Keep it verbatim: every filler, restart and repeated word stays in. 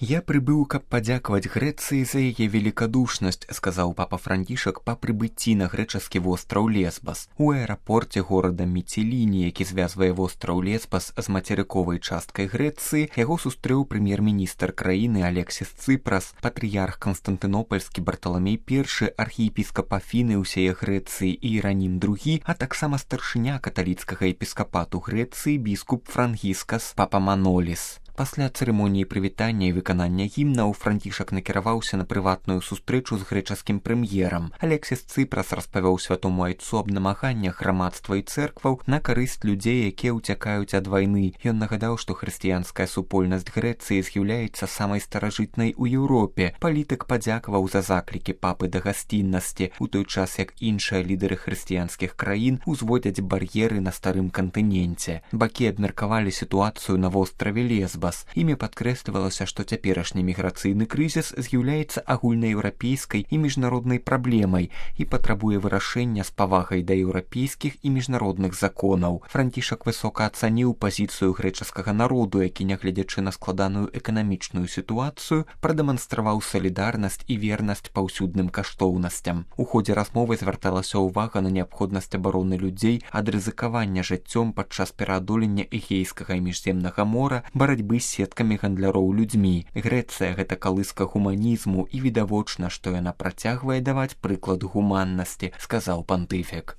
Я прыбыў, каб падзякаваць Грэцыі за яе великадушнасць, сказаў папа Францішак па прыбыцці на грэчаскі востраў Лесбас. У аэрапорце горада Міціліні, які звязвае востраў Лесбас з мацерыковай часткай Грэцыі, яго сустрэў прэм'ер-міністр краіны Алексіс Цыпрас, патрыярх Канстантынопольскі Барталамей першы, архіепіскап Афіны ўсяе Грэцыі і Іранім другі, а таксама старшыня каталіцкага епіскапату Грэцыі біскуп Франгіскас Папаманоліс. Пасля цырымоніі прывітання і выканання гімнаў Францішак накіраваўся на прыватную сустрэчу з грэчаскім прэм'ерам. Алексіс Цыпрас распавёў святому айцу аб намаганнях грамадства і цэркваў на карысць людзей, якія ўцякаюць ад вайны. Ён нагадаў, што хрысціянская супольнасць Грэцыі з'яўляецца самай старажытнай у Еўропе. Палітык падзякаваў за заклікі папы да гасціннасці, у той час як іншыя лідары хрысціянскіх краін узводзяць бар'еры на старым кантыненце. Бакі абмеркавалі сітуацыю на востраве Лесбас. Імі падкрэслівалася, што цяперашні міграцыйны крызіс з'яўляецца агульнаеўрапейскай і міжнароднай праблемай і патрабуе вырашэння з павагай да еўрапейскіх і міжнародных законаў. Францішак высока ацаніў пазіцыю грэчаскага народу, які, нягледзячы на складаную эканамічную сітуацыю, прадэманстраваў салідарнасць і вернасць паўсюдным каштоўнасцям. У ходзе размовы звярталася ўвага на неабходнасць абароны людзей ад рызыкавання жыццём падчас пераадолення Эгейскага і міжземнага мора, барацьбы з сеткамі гандляроў людзьмі. Грэцыя — гэта калыска гуманізму, і відавочна, што яна працягвае даваць прыклад гуманнасці, сказаў пантыфік.